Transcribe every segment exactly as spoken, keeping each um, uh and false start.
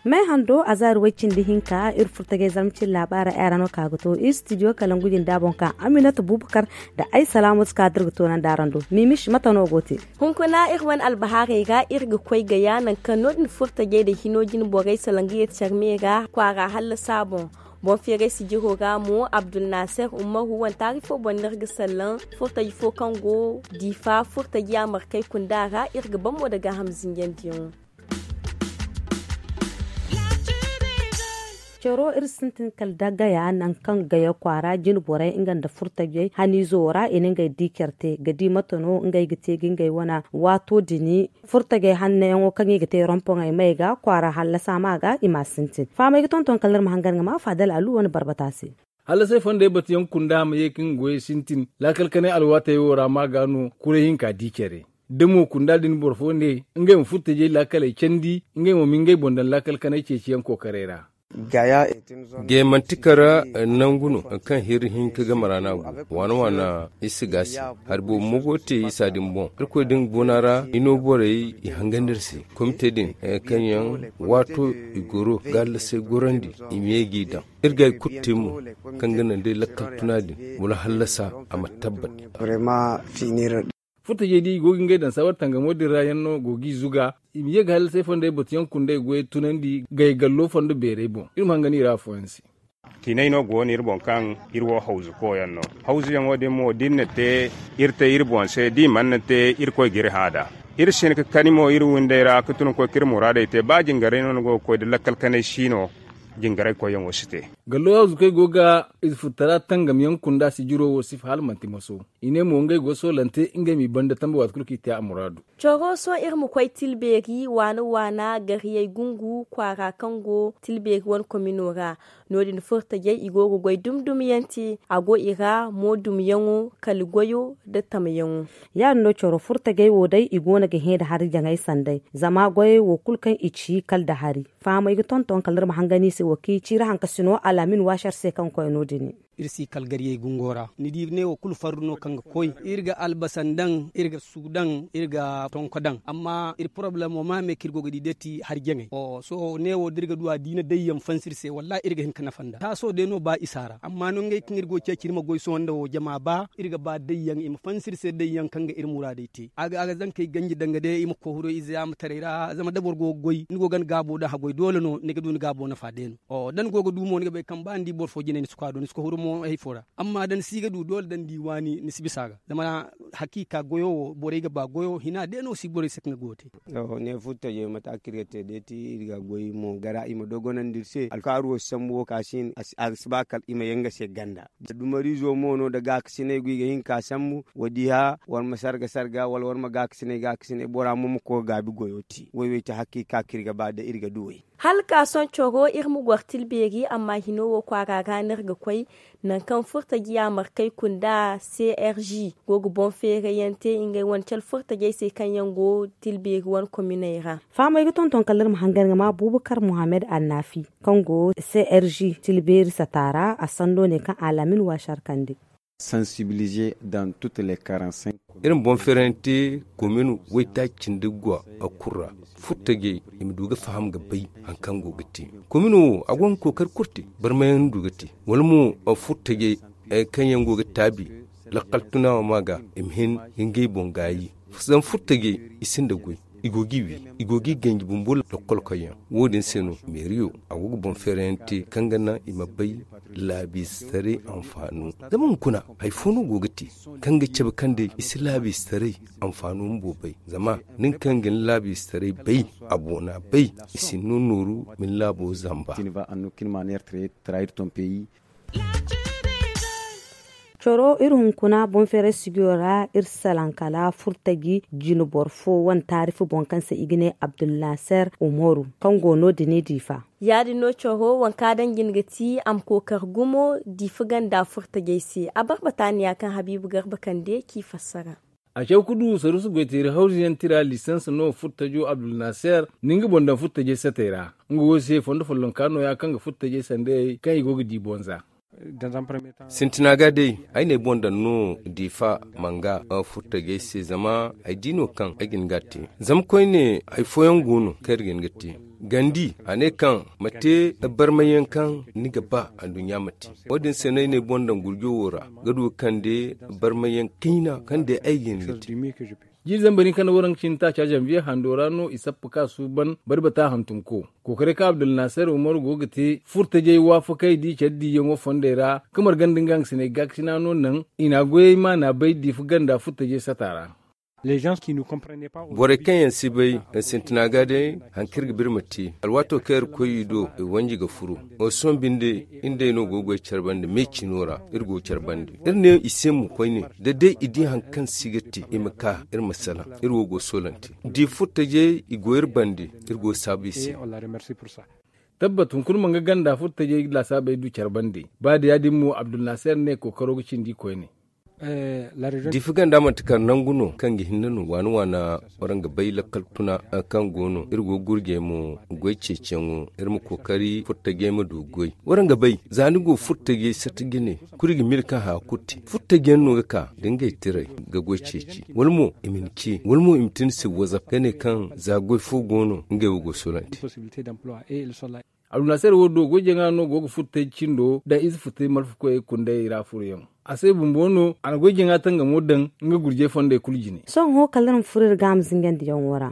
Me hando azaari way cindi hinka iri furtajey zarma cine laabaara ay ra no ka ga to iri studio kalangu jinda boŋ ka aminata bubakar da ay salaamu si ka da iri ga toonandi araŋ do. Mimis mate no go te? Hunkuna iri wane albahaarey ra iri ga koy gaya nangu kaŋ no- din furtajey nda hino jine borey salaŋ ga yeeti care me ra kwaara hallasa boŋ. Boŋ feeray sijiro ra mo abdulnaser umaru wane taari fo boŋ no iri ga sallaŋ. Furtaji fo kaŋ go diifa furtaji a markey kunda ra iri ga ban mo nda gaaham zinjandiyaŋo. Caro iri sintin kala da gaya nangu kaŋ gaya kwaara jine borey nga nda furtajey haniizo ra i na ngey di care te ga di mate no ngey ga te ga ngey wane waato din. Furtajey hannayaŋo kaŋ i ga te rompoŋey may ga kwaara hallasa ma ga i m'a sintin fahamey ga tonton kala iri ma hangan ga ma faadal alu wane barbata se. Hallasay fondey batuyaŋ kunda ma ye ka nga goyey sintin laakal kanay alwaatey wo ra ma ga no kuray hinka di care. Da mo kunda din boro fo ne ngey ma furtajey laakaley candi ngey mo ma ngey boŋ daŋ laakal kanay ceeciyaŋ kookaray ra. Gaya manti kara nangu no kaŋ hiri hinka game ra no a go waana waana. Iri si gaasi hari boobo mo go te isa din boŋ irkoy din boona ra i no borey i hangandi iri se komite din kaŋ yaŋ waato i goro ga hallasay gorandi i ma ye g'i daŋ. Iri ga hari kulu te mo kaŋ ga naŋ day lakkal tuna din wala hallasa a ma tabbat. Furtajey di i go ga ngey daŋ saawar tangamo din ra yaŋ no go g'i zuga i ma ye ga hallasay fondey batuyaŋ kundey goyey tunandi gay gallo fondo beerey boŋ iri ma hangandi i ra afooyaŋ se. Tiinay no go no iri boŋ kaŋ iri wo hawzu koyaŋ no. Hawzuyaŋo din mo da iri na te iri te iri boŋ se da i mana na te irkoy ga iri hã nd'a. Iri si hin ga kani mo iri windey ra ga tun ga koy ga iri muraadey te ba jingaray no ni go ga koy da lakkal kanay si no. Jingaray koyyaŋo si te. Gallo hawzu kaŋ ay go ga ize furtara tangamyaŋ kunda sijiro wo sifa hala manti maso. I ne mo ngey go ga soolante ngey m'i banda tambe waati kulu kaŋ i te a muraadu. Coro sohõ iri ma koy tilbeeri waana waana gariyey gungu kwaara kaŋ go tilbeeri wane komino ra. No- din furtajey i go ga goy dum dum yaŋ te a go i ra mo dumyaŋo kala goyo nda tamyaŋo. Ya- din no coro furtajey wo day i go no ga hẽ nda hari jaŋay sanday zama goyey wo kulu kaŋ i ci kala nda hari. Fahamey ga tonton kala iri ma hangan i se wo kaŋ i ci iri hankasino alaamin waasar se kaŋ ga koy no- din. Iri si kala garyey gungo ra ni di ne wo kulu farru no kaŋ ga koy iri ga albasa daŋ iri ga su daŋ iri ga tonko daŋ amma iri porobalemo ma me kaŋ iri go ga di day ti hari jaŋay. Sohõ ne wo da iri ga du a da i na dayyaŋ fansi iri se wallahi iri ga hin ga nafa nd'a taaso day no ba isa ra amma no ngey kaŋ iri go ga ceeci iri ma goy sohõ nda wo jama ba iri ga ba dayyaŋ i ma fansi iri se dayyaŋ kaŋ ga iri muraadey te a ga zankey ganji danga day i ma koy huro ize yaamataray ra zama da boro go ga goy ni go ga ni gaabo daŋ haggoy doole no ni ga du ni gaabo nafa day no. Da ni go ga du mo ni ga bay kaŋ ba ni di boro fo jinay ni si koy a do ni si koy huru mo hari fo ra. Amma da ni si ga du doole da ni di waani ni si bisa a ga zama hakiika goyo wo borey ga ba goyo hina day no si borey se kaŋ ga goyo te. Ne furtajey mate kaŋ iri ga te day ti iri ga goy mo gara i ma dogonandi iri se alkaaru wo si sambu wo ka si hin a si ba kala i ma yaŋ ga se ganda. Dumariizo mo no nda gaakasinay go i ga hin ka sambu wa di hã war ma sarga sarga wala war ma gaakasinay gaakasinay bora mo ma koy ga gaabi goyo te woy wo ay te hakiika kaŋ iri ga ba da iri ga du way. Hala ka sohõ coro iri ma goro tilbeeri amma hino wo kwaara ra no iri ga koy. Nangu kaŋ furtaji yaamarkey kunda crg go ga boŋ feerayyaŋ te ngey wane cale furtajey se kaŋ yaŋ go tilbeeri wane kominey ra. Fahamey ga tonton kala iri ma hangan ga ma bubakar muhammad annaafi kaŋ go crg tilbeeri sata ra a sando ne kaŋ alaamin waasar kande. Iri ma boŋ feerante komin waytaaci cindi ga a kulu ra furtajey i ma du ga faham ga bay hari kaŋ go ga te. Komin wo a go ga kookari kulu te barmayaŋ du ga te wala mo furtajey kaŋ yaŋ go ga taabi lakkal tuna wo ma ga i ma hin ga ngey boŋ gaayi. Zama furtajey i sinda goy i go g'i wi i go g'i ganji bumbo lakkol koyyaŋ. Wo- din se no meeriyo a go ga boŋ feerayaŋ te kaŋ ga naŋ i ma bay laabiize taray anfaano. Zama hunkuna hari fo no go ga te kaŋ ga cabe kaŋ day i si laabiize taray anfaano bumbo bay. Zama nin kaŋ ga ni laabiize taray bay a boona bay i si ni no nooru ma ni laabo zamba. Coro iri hunkuna boŋ feeray sigiyo ra iri salaŋ kala furtaji jine boro fo wane taarifi boŋ kaŋ se i ga ne abdulnaser umaru kaŋ go no- din i diifa. Ya- din no coro waŋ kaŋ a daŋ jine ga ti a ma kookari gumo diifa ganda furtajey se a barbata niya kaŋ habiibu garba kande k'i fassara. A caw ga du saruusu goyteeri hawzu yaŋ tira lisans no furtajo abdulnaser, na nga boŋ daŋ furtajey satey ra. Nga wo se fondo follonka nooya kaŋ ga furtajey sandayey kaŋ i go ga di bonza. Sintina ga day, ay n'ay boŋ daŋ no diifa manga furtajey se zama ay di no kaŋ ay ga hin ga a te. Zama koyne hari fooyaŋ go no kaŋ iri ga hin ga te. Gandi a ne kaŋ ma te barmayyaŋ kaŋ ni ga ba anduɲɲa ma te. Wo- din se no ay n'ay boŋ daŋ gurjo wo ra ga du ga kande barmayyaŋ kayna kaŋ day ay ga hin ga te. Jiiri zambar hinka nda waranka cindi taaca zanviye hando ra no i sappa ka suuban barbata hantumko. Kookaray kaŋ abdulnaser umaru go ga te furtajey waafakey da i care diiyaŋo fondey ra ka marga nda nga hangasiney gaakasina no naŋ i n'a goyey maana bay diifa ganda furtajey sata ra. Borey kaŋ yaŋ si bay sintina ga day, hari kaŋ iri ga ba iri ma te alwaato kaŋ iri koy i do i wanji ga furu. Sohõ binde iri nd'ey no go ga goy care bande me cino ra. Iri go ga care bande iri ne i se mo koyne da day i di hari kaŋ si ga te i ma ka iri ma salaŋ. Iri wo go ga soolante da i furtajey i go iri bande. Iri go ga saabu i se. Tabbat hunkuna ma nga ganda furtajey laasaabey du care bande. Ba da ya- din mo abdulnaser ne kookaro ga cindi koyne. Diifa ganda manti kar nangu no kaŋ ga hinne no waana waana. Waraŋ ga bay lakkal kuna kaŋ go no iri go ga gurjey mo goy ceeciyaŋo iri ma kookari furtajey ma du goy. Waraŋ ga bay za ni go furtajey sata jine kulu ga mil kaŋ haya kulu te furtajey no ga ka da ngey tiray ga goy ceeci wala mo i ma ni ce wala mo i ma te ni se wazaf ga ne kaŋ za goy fo go no ngey wo go ga soolante. Abdulnaser wo do goy jaŋa no go ga furtay cindo daŋ ize furtay malfakoyey kundayey ra furoyaŋ. A se bumbo no a na goy jaŋa tangamo daŋ nga gurjey fondey kulu jine. Sohõ kala iri ma furo iri gaama zingandiyaŋo ra.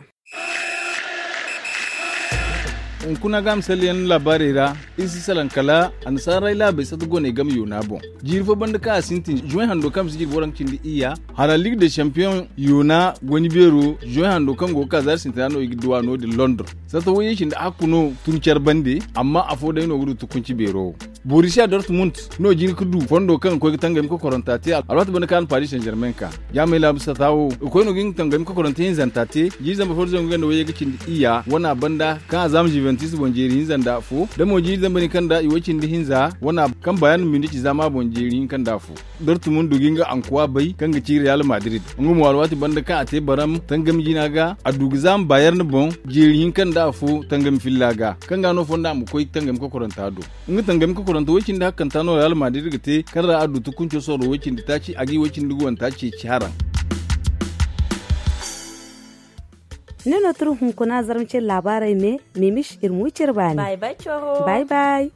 Hunkuna gaama salleyaŋ laabaarey ra iri si salaŋ kala annasaarey laabey sata goney game yoona boŋ. Jiiri fo banda kaŋ a sintin juwaŋ hando kaŋ ma si jirbi waranka cindi iyya hala ligue de champion yoona goyni beero juwaŋ hando kaŋ go ga ka zaari sintina no i ga duwa no- din londres. Sata wayye cindi hakku no tun care bande. Amma afo day no ga du tukunci beero. Borisiya dortmund no jin ga du fondo kaŋ ga koy ga tangami kokoranta te alwaati banda kaŋ a na paris saint germain ka. Jaamay laabu sata wo ga koy no ga nga tangami kokoranta hinzanta te. Jiiri zamba fo da zangu ganda wayye ga cindi iyya wana banda kaŋ a zaama juventus boŋ jeeri hinza nda afo da mo jiiri zamba ni kaŋ da i way cindi hinza wana kaŋ bayern munich zaama boŋ jeeri hinka nda afo. Dortmund ga nga ankuwa bay kaŋ ga ci real madrid. Nga mo alwaati banda kaŋ a te baram tangami jina ga a du ga zaama bayern boŋ jeeri hinka nda afo tangami filla ga kaŋ ga no fonda a ma koy tangami kokoranta do. Nga tangami kokoranta way cindi hakkanta no real madrid ga te kaŋ ra a du tukunco soro way cindi taaci a ga i way cindi ga wanta ceeci haraŋ. Ne no turu hunkuna zarma cire laabaarey me. Mimis iri ma wi cire baani. Bay bay.